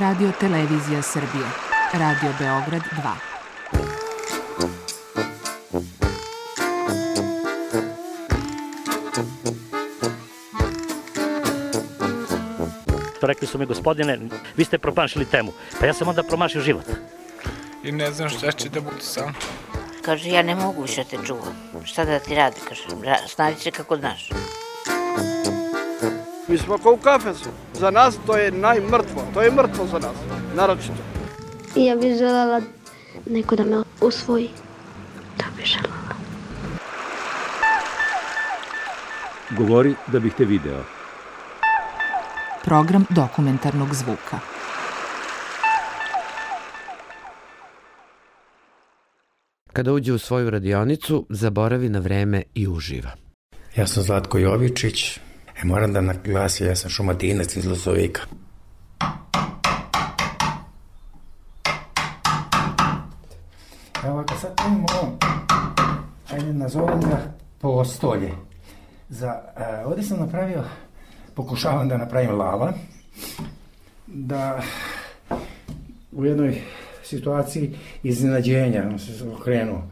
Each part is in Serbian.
Radio Televizija Srbije. Radio Beograd 2. Rekli su mi, gospodine, vi ste promašili temu. Pa ja sam onda promašio život. I ne znam šta će da bude sam. Kaže, ja ne mogu više te čuvam. Šta da ti radi, kaže, snađi se kako znaš. Mi smo kao u kafesu. Za nas to je najmrtvo. To je mrtvo za nas, naročito. Ja bih želela neko da me usvoji. To bih želela. Govori da bih te video. Program dokumentarnog zvuka. Kada uđe u svoju radionicu, zaboravi na vreme i uživa. Ja sam Zlatko Jovičić. Moram da naglasim, ja sam Šumadinac iz Lozovika. Evo ovako, sad imamo ovo, ajde nazovem ga postolje. Ovdje sam napravio, pokušavam da napravim lava, da u jednoj situaciji iznenađenja, on se okrenuo,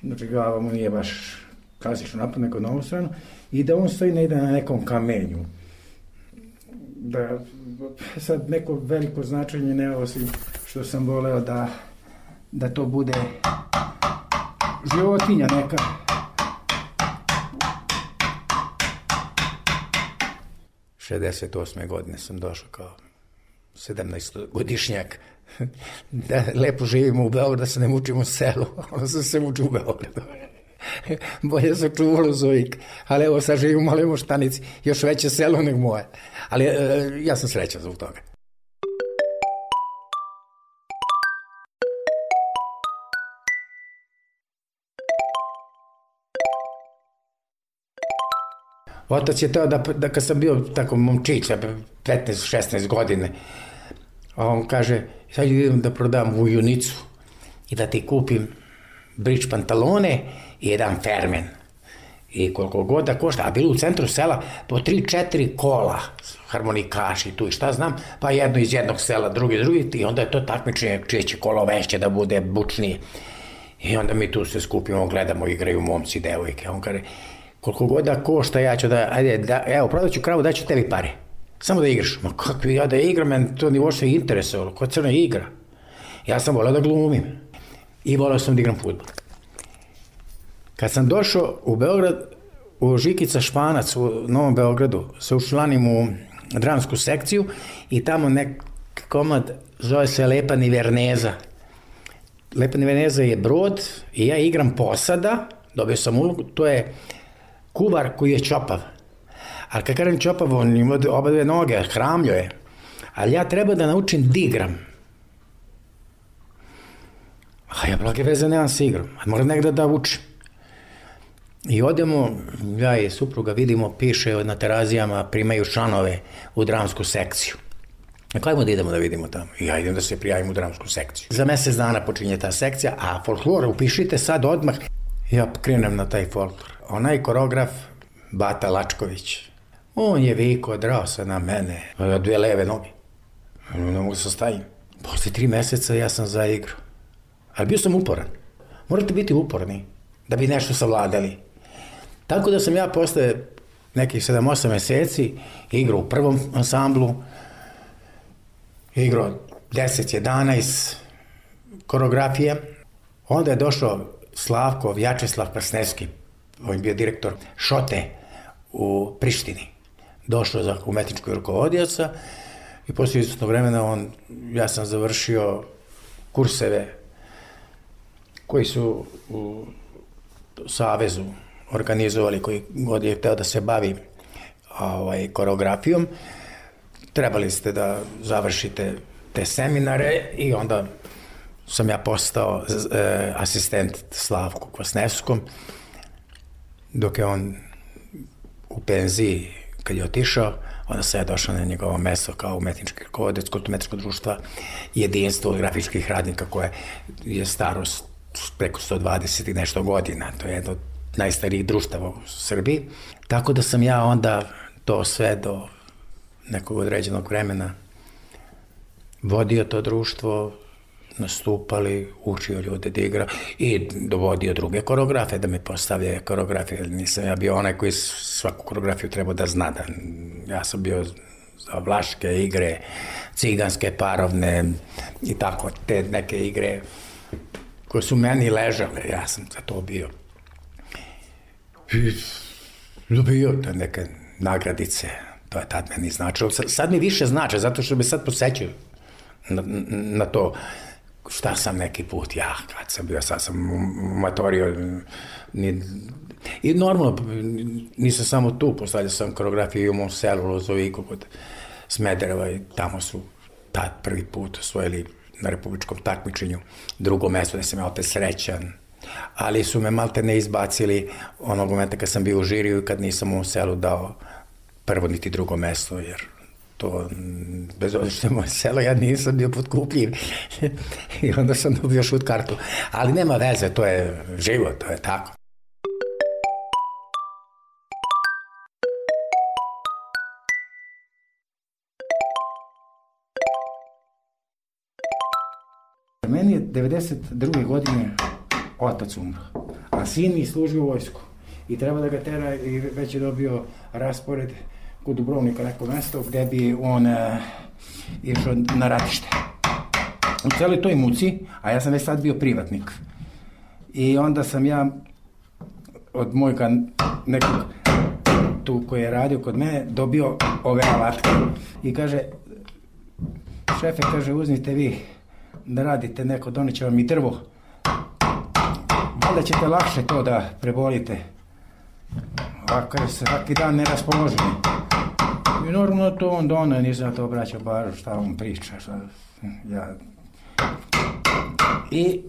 znači glava mu nije baš klasično napad, nego na ovu stranu, i da on stoji negdje na nekom kamenju. Da sad neko veliko značenje ne osim što sam voleo da to bude životinja neka. '68. godine sam došao kao 17-godišnjak da lepo živimo u Beogradu, da se ne mučimo u selu, onda sam se mučio u Beogradu. Bolje se čuo Lozovik, ali evo sad živim u Maloj Moštanici, još veće selo nego moje, ali ja sam srećan zbog toga. Otac je teo da kad sam bio tako momčić, 15-16 godine, on kaže, sad idem da prodam vujunicu i da ti kupim bridge pantalone i jedan fermen. I koliko god da košta, a bilo u centru sela po 3-4 kola, harmonikaši tu i šta znam, pa jedno iz jednog sela, drugi, i onda je to takmičenje čije će kolo veće da bude bučnije. I onda mi tu se skupimo, gledamo, igraju momci, devojke. On kaže, koliko god da košta, ja ću evo, prodat ću kravu, daću tebi pare. Samo da igraš. Ma kako ja da igram, men to ni uopšte interesovalo, ko crna igra. Ja sam voleo da glumim i voleo sam da igram fudbal. Kad sam došao u Beograd, u Žikica Španac u Novom Beogradu, se učlanim u dramsku sekciju i tamo nek komad zove se Lepa Niverneza. Lepa Niverneza je brod i ja igram posada, dobio sam ulogu, to je kuvar koji je čopav. Ali kad kažem čopav, on ima oba dve noge, hramljo je. Ali ja treba da naučim da igram. A ja blage veze nemam sa igrom, a moram negdje da učim. I odemo, ja i supruga vidimo, piše na Terazijama, primaju članove u dramsku sekciju. Ajmo da idemo da vidimo tamo. I ja idem da se prijavim u dramsku sekciju. Za mjesec dana počinje ta sekcija, a folklor upišite sad odmah. Ja krenem na taj folklor. Onaj koreograf, Bata Lačković, on je vikao, drao se na mene, ja dve leve noge. Ne mogu se stavim. Posle 3 mjeseca ja sam zaigrao. Ali bio sam uporan. Morate biti uporni da bi nešto savladali. Tako da sam ja posle nekih 7-8 mjeseci igrao u prvom ansamblu, igrao 10-11 koreografije. Onda je došao Vjačeslav Krasnevski, on je bio direktor Šote u Prištini. Došao za umetničkog rukovodioca i poslije izvjesnog vremena ja sam završio kurseve koji su u Savezu organizovali, koji god je hteo da se bavi koreografijom. Trebali ste da završite te seminare i onda sam ja postao asistent Slavku Kvasnevskom, dok je on u penziji, kad je otišao, onda sam ja došao na njegovo mesto kao umetnički rukovodilac Kulturno-umetničkog društva Jedinstvo grafičkih radnika, koje je staro preko 120 i nešto godina. To je jedno od najstarijih društava u Srbiji. Tako da sam ja onda to sve do nekog određenog vremena vodio to društvo, nastupali, učio ljude da igra i dovodio druge koreografe da mi postavljaju koreografije. Nisam ja bio onaj koji svaku koreografiju trebao da zna. Ja sam bio za vlaške igre, ciganske, parovne i tako, te neke igre koje su meni ležale, ja sam za to bio. I dobio te neke nagradice, to je tad meni značilo. Sad mi više znače, zato što me sad podsjećaju na to šta sam neki put ja, kad sam bio, sad sam matorio. I normalno, nisam samo tu, postavljao sam koreografiju i u mom selu, Lozoviku, kod Smedereva i tamo su tad prvi put osvojili na republičkom takmičenju drugo mesto, da sam ja opet srećan. Ali su me malte ne izbacili onog momenta kad sam bio u žiriju i kad nisam u selu dao prvo niti drugo mesto, jer to, bez obzira što je moje selo, ja nisam bio potkupljiv. I onda sam dobio šut kartu. Ali nema veze, to je život, to je tako. Meni je 92. godine otac umro, a sin mi služi u vojsku. I treba da ga tera i već je dobio raspored kod Dubrovnika neko mesto gde bi on išao na ratište. U celoj toj muci, a ja sam već sad bio privatnik. I onda sam ja od mojega nekog tu koji je radio kod mene dobio ove alatke. I kaže, šefe, kaže, uzmite vi da radite neko, doneće vam i drvo. Valjda ćete lakše to da prebolite. A kaže, svaki dan neraspoloženi. I normalno to on dona, nisam to obraćao baš šta on priča. Šta, ja. I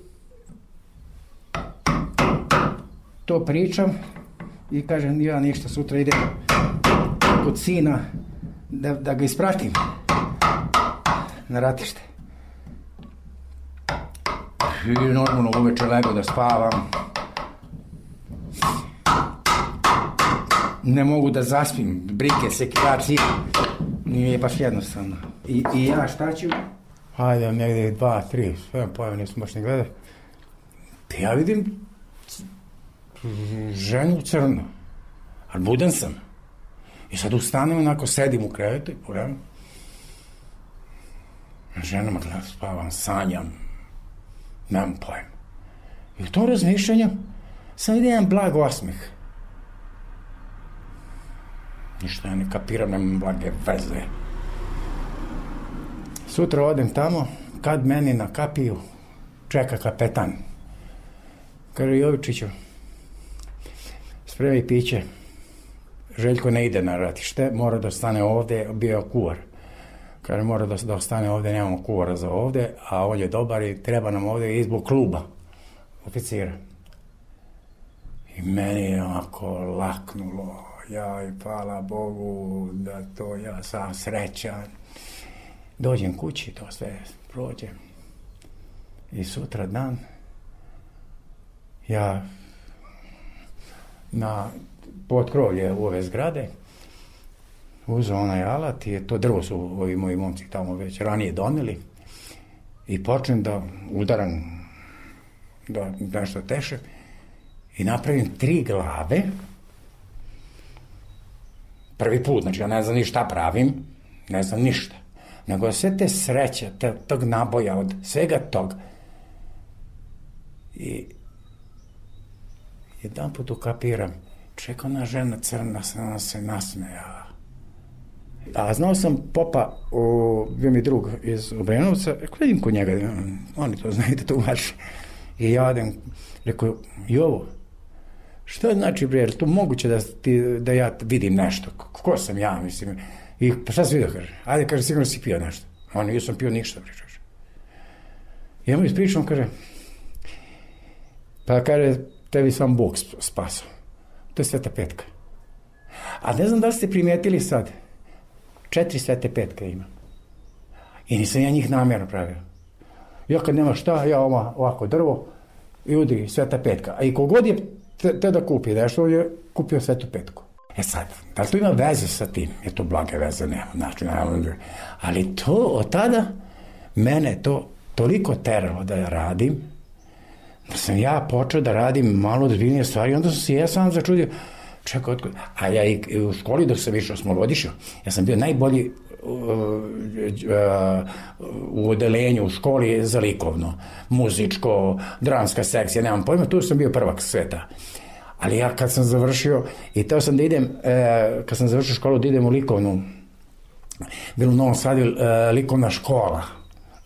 to pričam i kažem, ja ništa, sutra idem kod sina da ga ispratim na ratište. I normalno uveče lego da spavam. Ne mogu da zaspim, brike, sekilaci, nije baš jednostavno. I ja šta ću? Hajde, negdje 2, 3, sve pojave nisam baš ne gledao. Ja vidim ženu u crno, ali budan sam. I sad ustanem, onako sedim u krevetu i pogledam. Žena me gleda, spavam, sanjam, nemam pojma. I u tom razmišljanju sam vidio jedan blag osmeh. Ništa ja ne kapiram, nemam blage veze. Sutra odem tamo, kad meni na kapiju čeka kapetan. Kaže, Jovičiću, spremi piće. Željko ne ide na ratište, mora da ostane ovde, bio je kuvar. Kaže, mora da ostane ovde, nemamo kuvara za ovde, a on je dobar i treba nam ovde izbog kluba oficira. I meni je onako laknulo. Jaj, hvala Bogu da to ja sam srećan. Dođem kući, to sve prođem. I sutra dan ja na potkrovlje u ove zgrade uzeo onaj alat i to drvo su ovi moji momci tamo već ranije doneli i počnem da udaram da nešto teše i napravim 3 glave. Prvi put, znači ja ne znam ni šta pravim, ne znam ništa. Nego sve te sreće, tog naboja, od svega tog. I jedan put ukapiram, čeka ona žena crna, ona se nasmejala. A znao sam popa, bio mi drug iz Obrenovca, rekao, vidim kod njega, oni to znaju da to uvaši. I ja odem, rekao, Jovo, što znači, bre, to moguće da ja vidim nešto? Ko sam ja, mislim? I pa šta si vidio, kaže? Ajde, kaže, sigurno si pio nešto. On, nisam pio ništa, bre, kaže. I ja mu ispričam, kaže, pa kaže, tebi sam Bog spasao. To je Sveta Petka. A ne znam da li ste primijetili sad, 4 Svete Petke ima. I nisam ja njih namjerno pravio. Ja kad nema šta, ja ovako drvo i udri Sveta Petka. A i kogod je te da kupi nešto, je kupio Svetu Petku. E sad, da li to ima veze sa tim? Je to blage veze, nema, znači, ali to od tada mene to toliko teralo da ja radim, da sam ja počeo da radim malo ozbiljnije stvari, onda sam se ja sam začudio, čekaj, a ja i u školi dok sam išao osmogodišnju, ja sam bio najbolji u odelenju u školi za likovno, muzičko, dramska sekcija, nemam pojma, tu sam bio prvak sveta. Ali ja kad sam završio, i teo sam da idem, kad sam završio školu, da idem u likovnu, bilo u Novom Sadu likovna škola,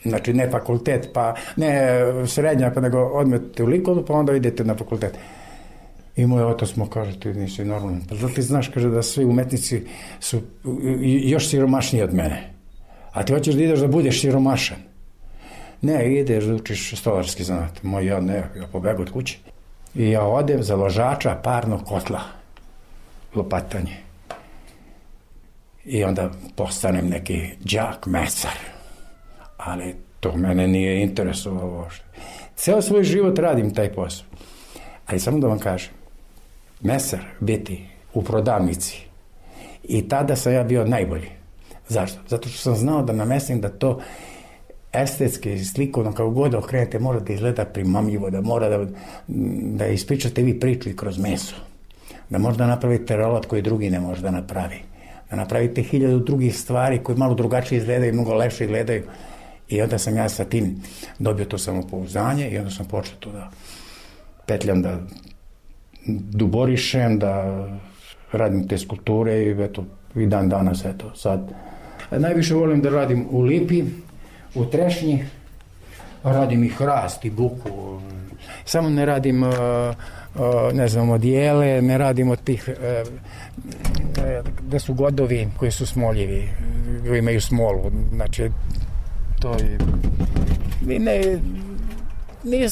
znači ne fakultet, pa ne srednja, pa nego odmete u likovnu, pa onda idete na fakultet. I moj otac mu kaže, ti nisi normalno. Pa da ti znaš, kaže, da svi umetnici su još siromašniji od mene. A ti hoćeš da ideš da budeš siromašan. Ne, ideš da učiš stolarski zanat. Moj, ja pobegu od kuće. I ja odem za ložača parnog kotla. Lopatanje. I onda postanem neki đak mesar. Ali to mene nije interesovalo. Ceo svoj život radim taj posao. Ali samo da vam kažem, mesar biti u prodavnici i tada sam ja bio najbolji. Zašto? Zato što sam znao da namestim da to estetski, slikovno, kako god okrenete, mora da izgleda primamljivo, da mora da ispričate vi priču i kroz meso. Da možda napravite rolat koji drugi ne može da napravi. Da napravite 1000 drugih stvari koje malo drugačije izgledaju, mnogo lepše izgledaju. I onda sam ja sa tim dobio to samopouzdanje i onda sam počeo to da petljam, da duborišem, da radim te skulpture i eto, i dan danas, eto, sad. Najviše volim da radim u lipi, u trešnji, radim i hrast i buku, samo ne radim, ne znam, odijele, ne radim od tih, gde su godovi koji su smoljivi, koji imaju smolu, znači, to je, nije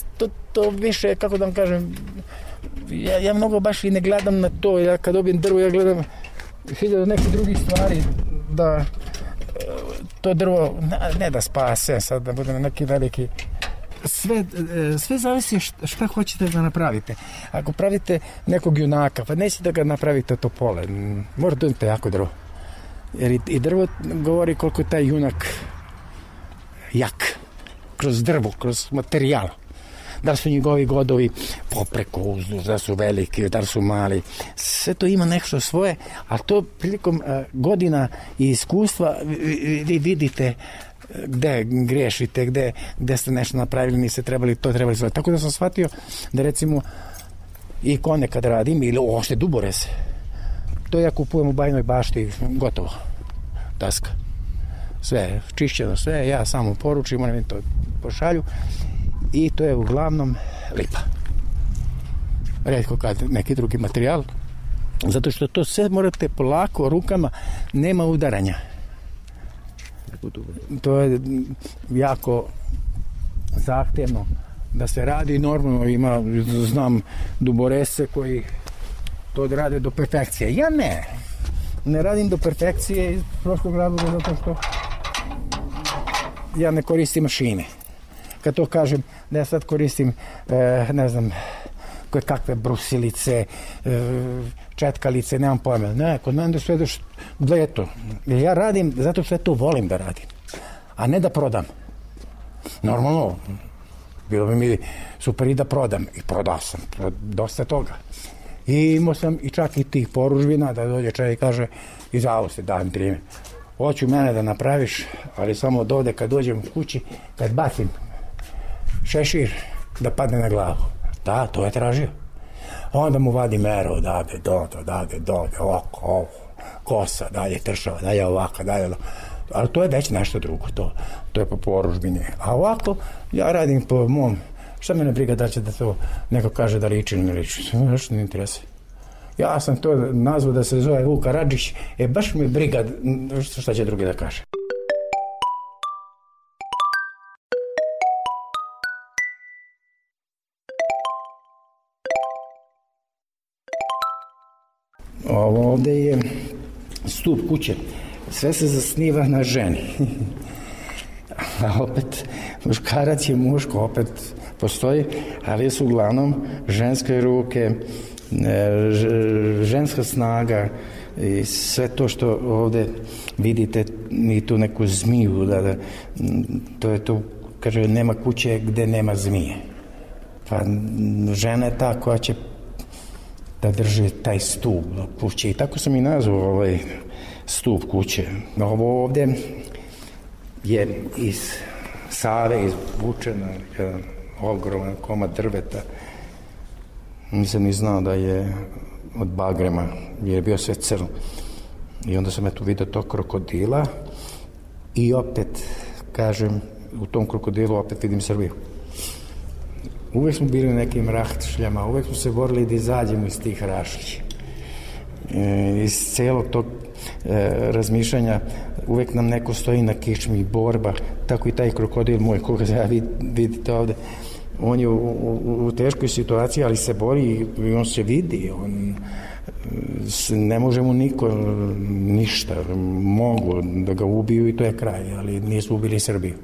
to više, kako da vam kažem, ja mnogo baš i ne gledam na to, ja kad dobijem drvo, ja gledam 1000 nekih drugih stvari, da to drvo, ne da spase, sad da budem neki veliki, sve zavisi šta hoćete da napravite. Ako pravite nekog junaka, pa nećete da ga napravite topole, morate da imate jako drvo, jer i drvo govori koliko je taj junak jak, kroz drvo, kroz materijal. Da li su njegovi godovi popreko uzduž, da su veliki, da li su mali. Sve to ima nešto svoje, a to prilikom godina i iskustva vi vidite gde grešite, gde ste nešto napravili, niste trebali, to trebali sve. Tako da sam shvatio da recimo ikone kad radim, ili uopšte duborez, to ja kupujem u Bajnoj Bašti, gotovo, daska. Sve, čišćeno sve, ja samo poručim, oni mi to pošalju. I to je uglavnom lipa. Retko kad neki drugi materijal, zato što to sve morate polako rukama, nema udaranja. To je jako zahtevno da se radi, normalno znam duborese koji to rade do perfekcije. Ja ne radim do perfekcije iz prostog razloga zato što ja ne koristim mašine. Kad to kažem da ja sad koristim, ne znam, koje kakve brusilice, četkalice, nemam pojma. Ne, kod mene da sve daš bleto. Ja radim zato što ja to volim da radim, a ne da prodam. Normalno, bilo bi mi super i da prodam. I prodao sam dosta toga. I imao sam i čak i tih poružbina da dođe čovjek i kaže izvao se, dajem 3. Hoću mene da napraviš, ali samo od ovde kad dođem u kući, kad bacim šešir, da padne na glavu. Da, to je tražio. Onda mu vadi meru, odavde, dode, ovako, kosa, dalje tršava, dalje ovako, dalje ovako. Ali to je već nešto drugo, to je po poružbini. A ovako, ja radim po mom, šta mene briga da će da to neko kaže da liči ili ne liči, što ne interese. Ja sam to nazvao da se zove Vuk Karadžić, baš mi briga šta će drugi da kaže. Ovo ovde je stup kuće. Sve se zasniva na ženi. A opet, muškarac je muško, opet postoji, ali su uglavnom ženske ruke, ženska snaga, I sve to što ovde vidite, i tu neku zmiju, to je to, kaže, nema kuće gde nema zmije. Pa žena je ta koja će da drži taj stup kuće. I tako sam i nazvao ovaj stup kuće. Ovo ovde je iz Save izvučena jedan ogroman komad drveta. Nisam ni znao da je od bagrema, jer je bio sve crno. I onda sam tu vidio tog krokodila i opet, kažem, u tom krokodilu opet vidim Srbiju. Uvek smo bili na nekim rašljama, uvek smo se borili da izađemo iz tih rašlji. Iz celog tog razmišljanja uvek nam neko stoji na kičmi, borba, tako i taj krokodil moj, koga ja vidite ovde, on je u teškoj situaciji, ali se bori i on se vidi, ne može mu niko ništa, mogu da ga ubiju i to je kraj, ali nisu ubili Srbiju.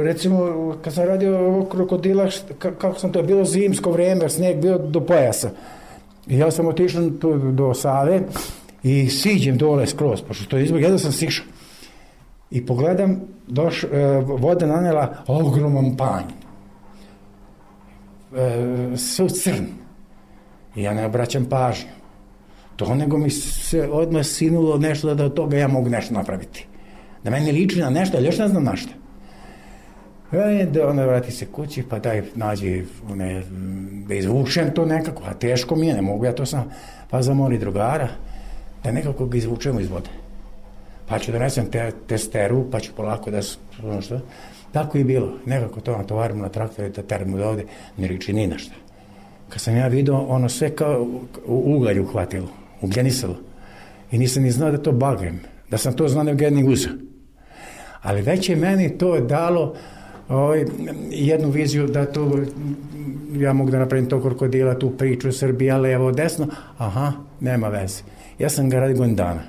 Recimo, kad sam radio ovog krokodila, kako sam to bilo zimsko vreme, sneg bio do pojasa. I ja sam otišao do Save i siđem dole skroz, pošto to je izbog, jedno sam sišao. I pogledam, voda nanela ogroman panj. Sve u crn. I ja ne obraćam pažnju. To nego mi se odmah sinulo nešto da od toga ja mogu nešto napraviti. Da meni liči na nešto, ali još ne znam na što. Onda vrati se kući, pa daj nađi, da izvučem to nekako, a teško mi je, ne mogu ja to sam, pa zamoli drugara, da nekako ga izvučemo iz vode. Pa ću donesem testeru, pa ću polako da, što, tako i bilo, nekako to natovarimo na traktore, da teramo do ovde, ne liči ni na šta. Kad sam ja vidio, ono sve kao u ugalj uhvatilo, ugljenisalo, i nisam ni znao da to bagrem, da sam to znao ne ugljenih uza. Ali već je meni to dalo jednu viziju da to, ja mogu da napravim tog krokodila, tu priču Srbija, levo, desno, aha, nema veze. Ja sam ga radio godin dana.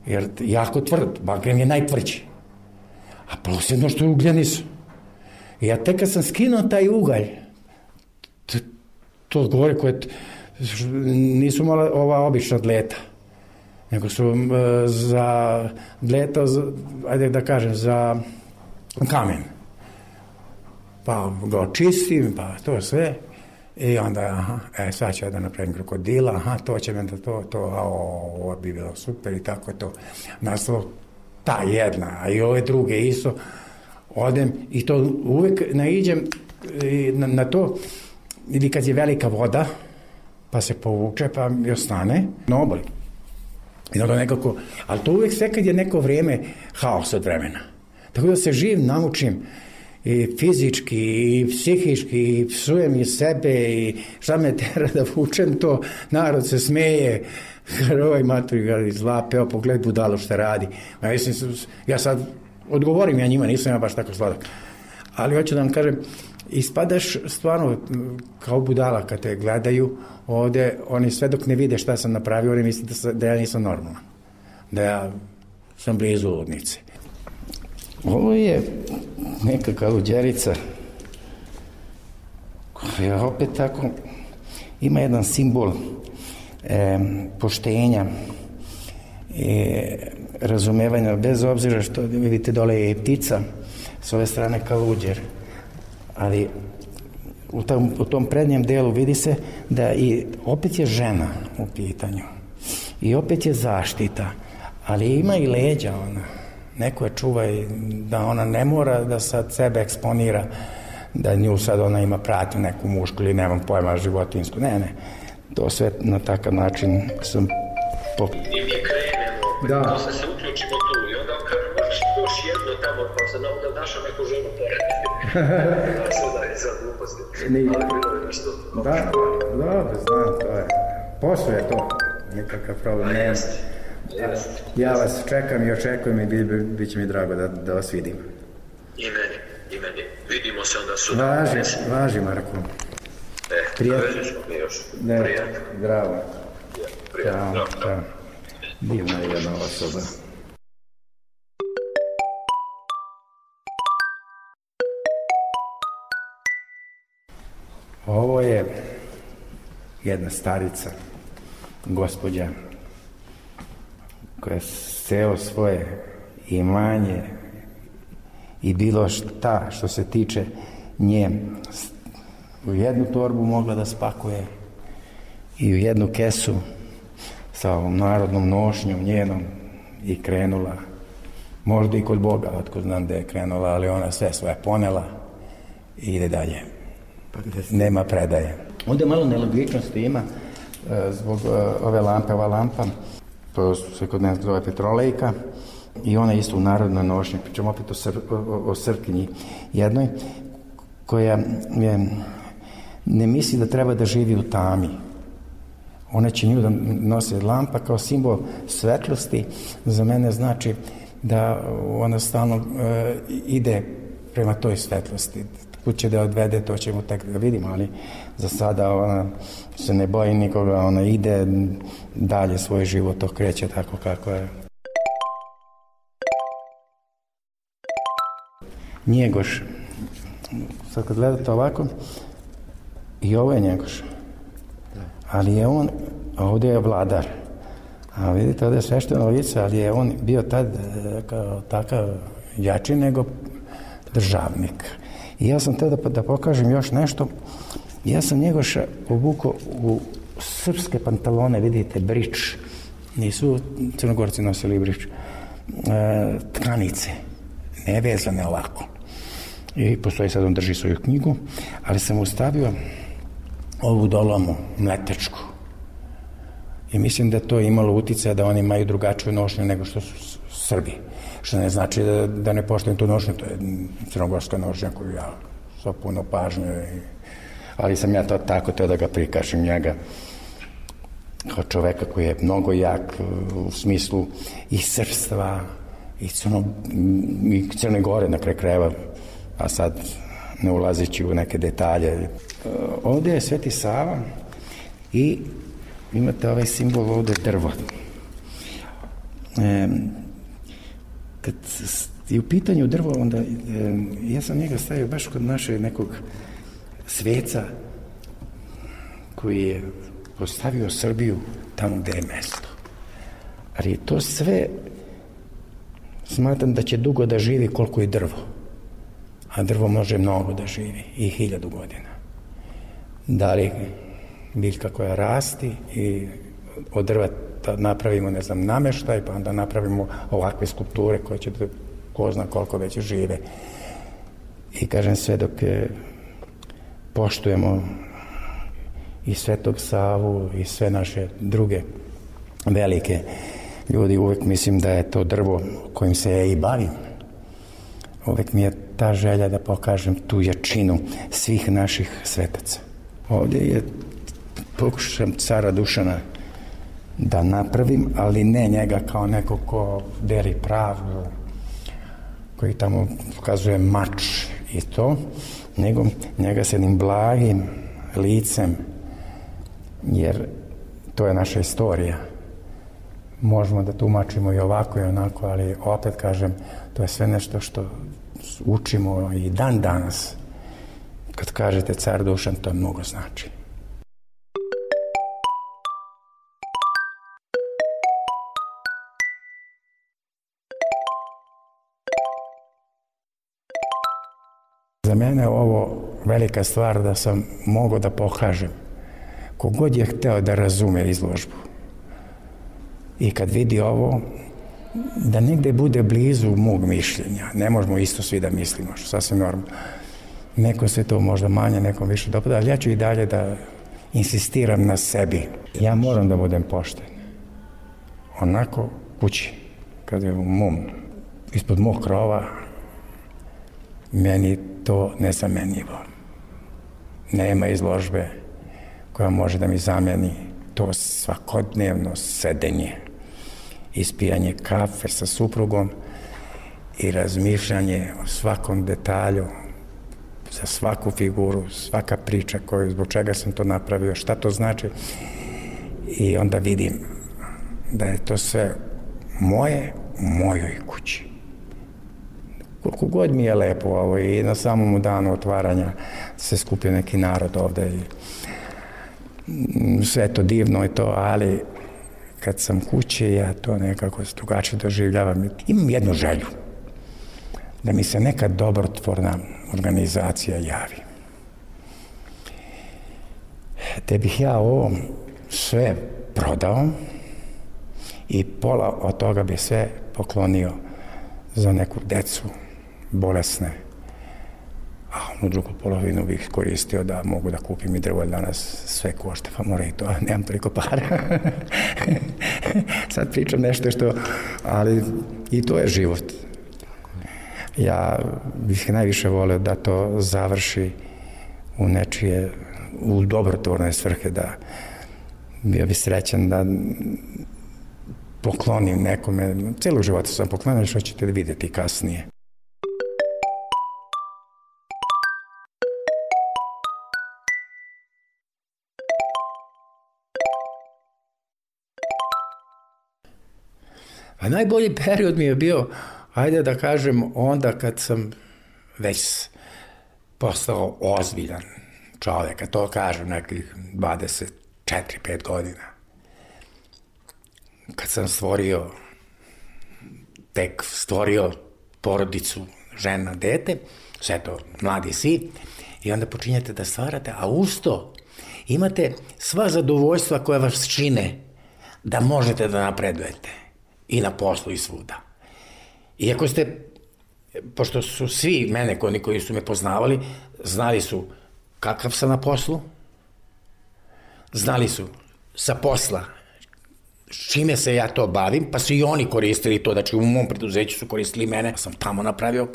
Jer jako tvrd, bagrem je najtvrđi. A plus jedno što je ugljenis. I ja tek kad sam skinuo taj ugalj, to gore koje nisu mala ova obična dleta, nego su za dleta, ajde da kažem, za kamen. Pa ga očistim, pa to sve. I onda, sad ću ja da napravim krokodila, to će me da ovo bi bilo super i tako je to. Nastalo ta jedna, a i ove druge isto. Odem i to uvek naiđem na to, ili kad je velika voda, pa se povuče, pa mi ostane na obali. I onda nekako, ali to uvek sve kad je neko vrijeme haos od vremena. Tako da se živ naučim i fizički, i psihički, i psujem i sebe, i šta me tera da vučem to, narod se smeje, ovaj maturi ga izlape, evo pogled budalo šta radi. Ja sad odgovorim ja njima, nisam ja baš tako sladak. Ali hoću da vam kažem, ispadaš stvarno kao budala kad te gledaju ovde, oni sve dok ne vide šta sam napravio, oni misle da ja nisam normalan, da ja sam blizu ludnice. Ovo je neka kaluđerica koja opet tako ima jedan simbol poštenja i razumevanja, bez obzira što vidite dole je i ptica, s ove strane kaluđer, ali u tom prednjem delu vidi se da i opet je žena u pitanju i opet je zaštita, ali ima i leđa ona. Neko je čuva i da ona ne mora da sad sebe eksponira, da nju sad ona ima pratnju neku mušku ili nemam pojma životinsku. Ne, to sve na takav način sam I mi krenemo, posle se uključimo tu i onda kažem, možeš još jedno tamo, pa se da našao neku ženu pored. Sada je sad gluposti. Ali bilo je nešto. Dobro, znam, to je. Posle je to, nikakav problem nema. Ja vas čekam i očekujem i bit će mi drago da vas vidim. I meni. Vidimo se onda sutra. Važi, Marko. Vežeš smo mi još. Prijatno. Zdravo. Prijatno. Ćao. Divna je jedna osoba. Ovo je jedna starica, gospođa, koja celo svoje imanje i bilo šta što se tiče nje u jednu torbu mogla da spakuje i u jednu kesu sa ovom narodnom nošnjom njenom i krenula, možda i kod Boga, otko znam da je krenula, ali ona sve svoje ponela i ide dalje. Nema predaje. Onda malo nelogičnosti ima zbog ove lampe, ova lampa, to se kod nas zove petrolejka, i ona isto u narodnoj nošnji, pričamo opet o Srpkinji jednoj, koja ne misli da treba da živi u tami. Ona će nju da nosi lampa kao simbol svetlosti, za mene znači da ona stalno ide prema toj svetlosti. Kud će da odvede, to ćemo tek da vidimo, ali za sada ona se ne boji nikoga, ona ide dalje svoj život, to kreće tako kako je. Njegoš. Sad kad gledate ovako, i ovo je Njegoš. Ali je on, ovdje je vladar. A vidite, ovdje je svešteno lice, ali je on bio tad kao takav jači nego državnik. I ja sam tada da pokažem još nešto. Ja sam Njegoša obukao u srpske pantalone, vidite, brič. Nisu Crnogorci nosili brič. Tkanice, nevezane ovako. I postoji sad, on drži svoju knjigu, ali sam ustavio ovu dolomu, mletečku. I mislim da to imalo uticaja da oni imaju drugačiju nošnju nego što su Srbi. Što ne znači da ne poštujem tu nošnju, to je crnogorska nošnja koju ja sa puno pažnje, ali sam ja to tako teo da ga prikažem njega kao čoveka koji je mnogo jak u smislu i srpstva i Crne Gore na kraju krajeva, a sad ne ulazeći u neke detalje. Ovdje je Sveti Sava i imate ovaj simbol ovdje drvo. Kad je u pitanju drvo, onda ja sam njega stavio baš kod našeg nekog sveca koji je postavio Srbiju tamo gde je mesto. Ali to sve smatram da će dugo da živi koliko i drvo. A drvo može mnogo da živi, i 1000 godina. Da li biljka koja rasti i od drva napravimo, ne znam, nameštaj, pa onda napravimo ovakve skulpture koje će da ko zna koliko već žive. I kažem, sve dok poštujemo i Svetog Savu i sve naše druge velike ljudi, uvek mislim da je to drvo kojim se ja i bavim. Uvek mi je ta želja da pokažem tu jačinu svih naših svetaca. Ovdje je pokušam cara Dušana da napravim, ali ne njega kao neko ko deli pravdu, koji tamo pokazuje mač i to, nego njega s jednim blagim licem, jer to je naša istorija. Možemo da tumačimo i ovako i onako, ali opet kažem, to je sve nešto što učimo i dan danas. Kad kažete car Dušan, to mnogo znači. Za mene je ovo velika stvar da sam mogao da pokažem. Kogod je hteo da razume izložbu i kad vidi ovo, da negde bude blizu mog mišljenja. Ne možemo isto svi da mislimo, što sasvim normalno. Neko se to možda manje, nekom više dopada, ali ja ću i dalje da insistiram na sebi. Ja moram da budem pošten. Onako kući, kad je ispod mog krova, meni to nezamenjivo. Nema izložbe koja može da mi zameni to svakodnevno sedenje, ispijanje kafe sa suprugom i razmišljanje o svakom detalju, za svaku figuru, svaka priča zbog čega sam to napravio, šta to znači. I onda vidim da je to sve moje u mojoj kući. Koliko god mi je lepo i na samom danu otvaranja se skupio neki narod ovde i sve to divno i to, ali kad sam kući, ja to nekako drugačije doživljavam. Imam jednu želju, da mi se neka dobrotvorna organizacija javi. Te bih ja ovo sve prodao i pola od toga bi sve poklonio za neku decu bolesne, a onu drugu polovinu bih koristio da mogu da kupim i drvo, jer danas sve košta, pa mora i to, nemam toliko para. Sad pričam nešto ali i to je život. Ja bih najviše volio da to završi u nečije, u dobrotvorne svrhe, da bio bi srećan da poklonim nekome, celog života sam poklonio, što ćete vidjeti kasnije. A najbolji period mi je bio, ajde da kažem, onda kad sam već postao ozbiljan čovjek, a to kažem nekih 24-5 godina. Kad sam stvorio porodicu, žena, dete, sve to mladi si, i onda počinjete da stvarate, a uz to imate sva zadovoljstva koja vas čine da možete da napredujete i na poslu i svuda. Iako ste, pošto su svi mene, koji su me poznavali, znali su kakav sam na poslu, znali su sa posla čime se ja to bavim, pa su i oni koristili to, znači u mom preduzeću su koristili mene, pa sam tamo napravio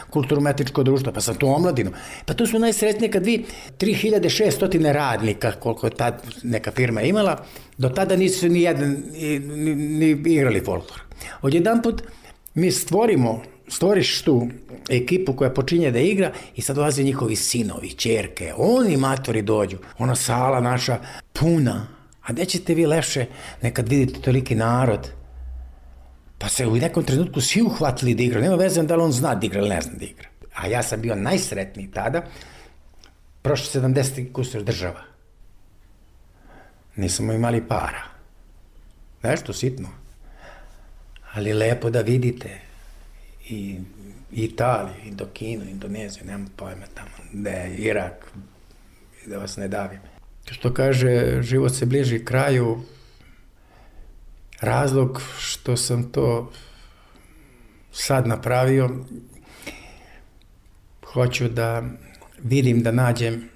kulturno-umetničko društvo, pa sam tu omladinu. Pa to su najsretnije kad vi 3600 radnika, koliko je tad neka firma imala, do tada nisu ni igrali folklor. Odjedanput mi stvoriš tu ekipu koja počinje da igra i sad dolaze njihovi sinovi, ćerke, oni matori dođu, ona sala naša puna. A gde ćete vi lepše nekad vidite toliki narod, pa se u nekom trenutku svi uhvatili da igra, nema veze da li on zna da igra ili ne zna da igra. A ja sam bio najsretniji tada, prošlo 70 kusur država. Nismo imali para. Nešto sitno. Ali lepo da vidite i Italiju, Indokinu, Indoneziju, nemam pojma tamo, da je Irak, da vas ne davim. Što kaže, život se bliži kraju, razlog što sam to sad napravio, hoću da vidim, da nađem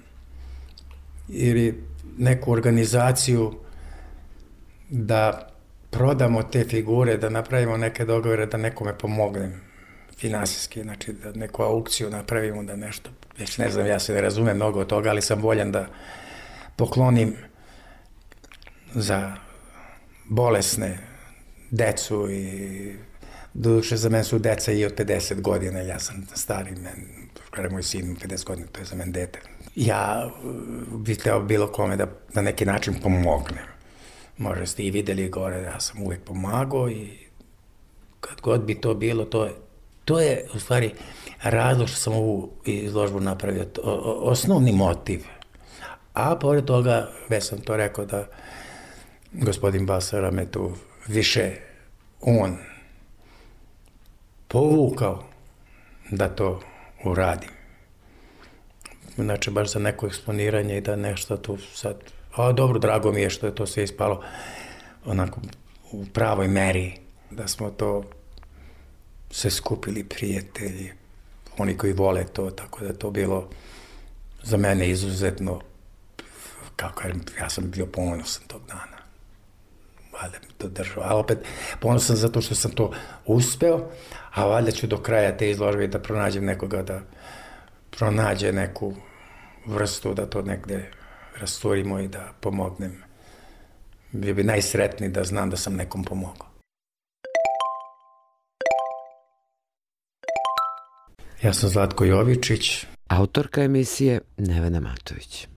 ili neku organizaciju da prodamo te figure, da napravimo neke dogovore, da nekome pomognem finansijski, znači da neku aukciju napravimo, da nešto, već ne znam, ja se ne razumem mnogo od toga, ali sam voljan da poklonim za bolesne decu i doduše za mene su deca i od 50 godina, ja sam stari, kada je moj sin 50 godina, to je za mene dete. Ja bih hteo bilo kome da na neki način pomognem. Možda ste i videli gore, ja sam uvek pomagao i kad god bi to bilo, to je u stvari razlog što sam ovu izložbu napravio, osnovni motiv. A pored toga, već sam to rekao da gospodin Basara me tu više on povukao da to uradim. Znači, baš za neko eksponiranje i da nešto tu sad... A dobro, drago mi je što je to sve ispalo onako u pravoj meri, da smo to se skupili prijatelji, oni koji vole to, tako da je to bilo za mene izuzetno, kako kažem, ja sam bio ponosan tog dana. Valjda mi to držao, a opet ponosan zato što sam to uspeo, a valjda ću do kraja te izložbe da pronađem nekoga da pronađe neku vrstu, da to negde rasturimo i da pomognem. Bio bi najsretniji da znam da sam nekom pomogao. Ja sam Zlatko Jovičić. Autorka emisije Nevena Matović.